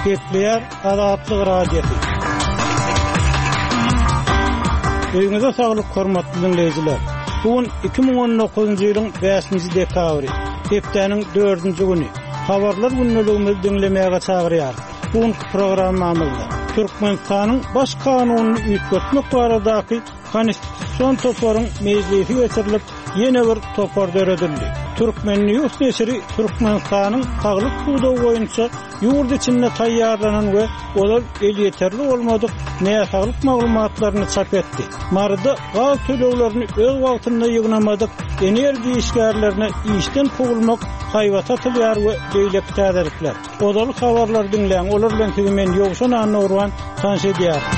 Gepleýär Azatlyk Radiosy. Öýüňize saglyk hormatly diňleýjiler. Bu gün 2019-njy ýylyň 5-nji dekabry, hepdäniň 4-nji güni. Habarlar gündeligimizi diňlemäge çagyrýarys. Bu günki programmamyzda Türkmenistanyň Baş kanunyny üýtgetmek baradaky Konstitusion toparyň mejlisi geçirilip, ýene bir topar döredildi. Turkmen. News neşiri Türkmenistanyň saglyk pudagy boýunça ýurt içinde taýýarlanan we ozal elýeterli bolmadyk näsaglyk maglumatlaryny çap etdi. Maryda gaz töleglerini öz wagtynda ýygnamadyk energiýa işgärlerine işden kowulmak haýbaty atylýar we beýleki täzelikler. Ozaly habarlary diňläň, olar bilen sizi men Ýowşan Annagurban tanyş edýärin.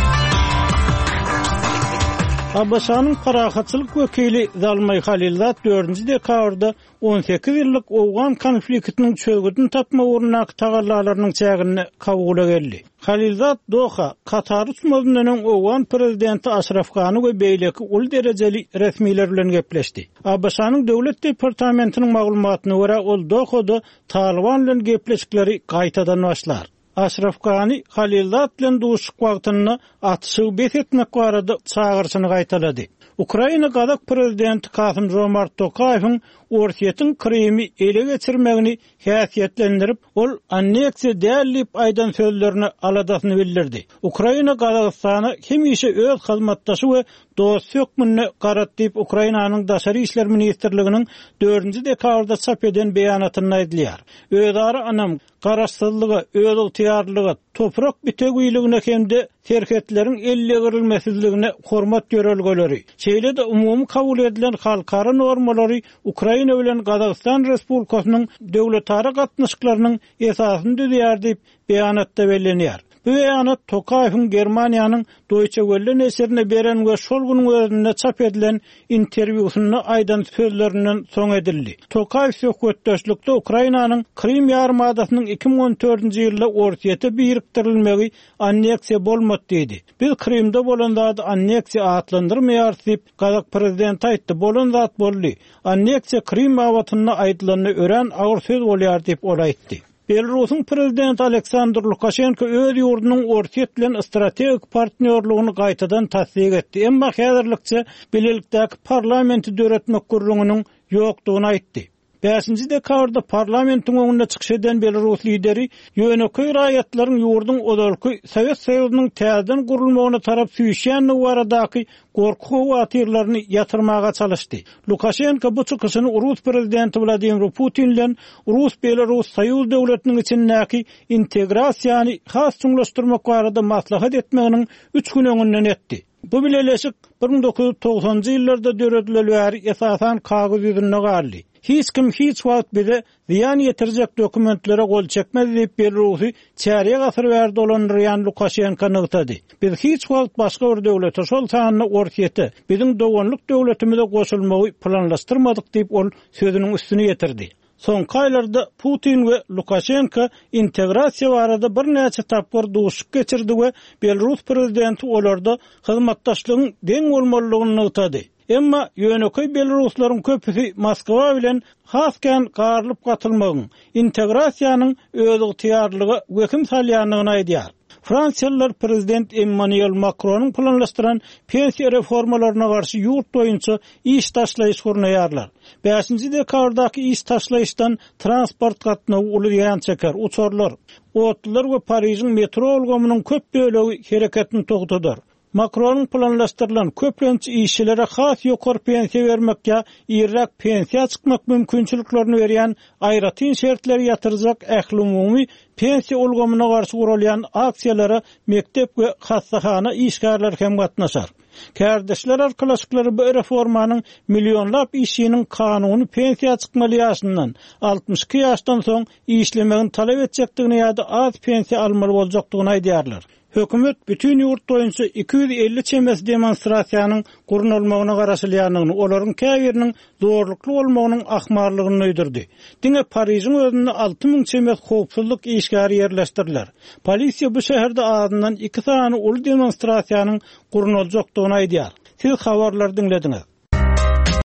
ABŞ-nyň parahatçylyk wekili Zalmaý Halilzad dördünji dekabrda 18 ýyllyk owgan konfliktiniň çözgüdini tapmak ugrundaky tagallalarynyň çäginde Kabula geldi. Halilzad Doha, Katar uçmazyndan öň owgan prezidenti Aşraf Gani we beýleki uly derejeli resmiler bilen gepleşdi. ABŞ-nyň Döwlet departamentiniň maglumatyna görä, ol Dohada Talyban bilen gepleşikleri gaýtadan başlar. Aşraf Gani Halilzad bilen duşuşyk wagtynda atyşygy bes etmek barada çagyryşyny gaýtalady. Ukraina gazak prezidenti Kasym-Žomart Tokaýewiň Orsýetiň Krymy ele geçirmegini häsiýetlendirip, ol anneksiýa däl diýip aýdan sözlerine aladasyny bildirdi. Ukraina Gazagystana hemişe öz hyzmatdaşy we dosty hökmünde garady diýip, Ukrainanyň Daşary işler ministrliginiň dördünji dekabrda çap eden beýanatynda aýdylýar. Özara ynam, garaşsyzlyga, özygtyýarlylyga, toprak bitewiligine hem-de serhetleriň eldegrilmesizligine hormat ýörelgeleri, şeýle-de umumy kabul edilen halkara normalary Ukraina bilen Gazagystan Respublikasynyň döwletara gatnaşyklarynyň esasyny düzýär diýip, beýanatda bellenýär. Bu beýanat Tokaýewiň Germaniýanyň Deutsche Welle neşirine beren we şol günüň özünde çap edilen interwýusynda aýdan sözlerinden soň edildi. Tokaýew söhbetdeşlikde Ukrainanyň Krym ýarymadasynyň 2014-nji ýylda Orsýete birikdirilmegi anneksiýa bolmady diýdi. Biz Krymda bolan zady anneksiýa atlandyrmaýarys diýip, gazak prezidenti aýtdy. Bolan zat boldy. Anneksiýa Krym babatynda aýdylanda örän agyr söz bolýar diýip, ol aýtdy. Belarusyň prezidenti Aleksandr Lukaşenko öz ýurdunyň Orsýet bilen strategik partnýorlygyny gaýtadan tassyk etdi, emma häzirlikçe bilelikdäki parlamenti döretmek gürrüňiniň ýokdugyny aýtdy. Bäşinji dekabrda parlamentiň öňünde çykyş eden belarus lideri ýönekeý raýatlaryň ýurduň ozalky Sowet Soýuzynyň täzeden gurulmagyna tarap süýşýändigi baradaky gorky-howatyrlaryny ýatyrmaga çalyşdy. Lukaşenko bu çykyşyny rus prezidenti Wladimir Putin bilen rus-belarus soýuz döwletiniň içindäki integrasiýany has çuňlaşdyrmak barada maslahat etmeginiň üç gün öňünden etdi. Bu bileleşik 1990-njy ýyllarda döredileli bäri esasan kagyz ýüzünde galdy. Hiç kim hiç wagt bize zyýan ýetirjek dokumentlere gol çekmez diýip, Belarusy çärýek asyr bäri dolandyrýan Lukaşenko nygtady. Biz hiç wagt başga bir döwlete, şol sanda Orsýete, biziň doganlyk döwletimize goşulmagy planlaşdyrmadyk diýip, ol sözüniň üstüni ýetirdi. Soňky aýlarda Putin we Lukaşenko integrasiýa barada birnäçe tapgyr duşuşyk geçirdi we belarus prezidenti olarda hyzmatdaşlygyň deň bolmalydygyny nygtady. Emma ýönekeý belaruslaryň köpüsi Moskwa bilen has kän garylyp-gatylmagyň, integrasiýanyň özygtyýarlylyga wehim salýandygyny aýdýar. Fransiýalylar prezident Emmanuel Makronyň planlaşdyran pensiýa reformalaryna garşy ýurt boýunça iş taşlaýyş gurnaýarlar. Bäşinji dekabrdaky iş taşlaýyşdan transport gatnawy uly zyýan çeker, uçarlar, otlular we Parižiň metro ulgamynyň köp bölegi hereketini togtadar. Makronyň planlaşdyrylan, köplenç işçilere has ýokary pensiýa bermek ýa irräk pensiýa çykmak mümkinçiliklerini berýän aýratyn şertleri ýatyrjak ählumumy pensiýa ulgamyna garşy guralýan aksiýalara mekdep we hassahana işgärleri hem gatnaşar. Kärdeşler arkalaşyklary bu reformanyň millionlap işçiniň kanuny pensiýa çykmaly ýaşyndan, 62 ýaşdan soň işlemegini talap etjekdigini ýa-da az pensiýa almaly boljakdygyny aýdýarlar. Hökümet bütin ýurt boýunça 250 çemesi demonstrasiýanyň gurnalmagyna garaşylýandygyny, olaryň käbiriniň zorlukly bolmagynyň ahmallygyny duýdurdy. Diňe Parižiň özünde 6000 çemesi howpsuzlyk işgäri ýerleşdiriler. Polisiýa bu şäherde azyndan iki sany uly demonstrasiýanyň gurnaljakdygyny aýdýar. Siz habarlary diňlediňiz.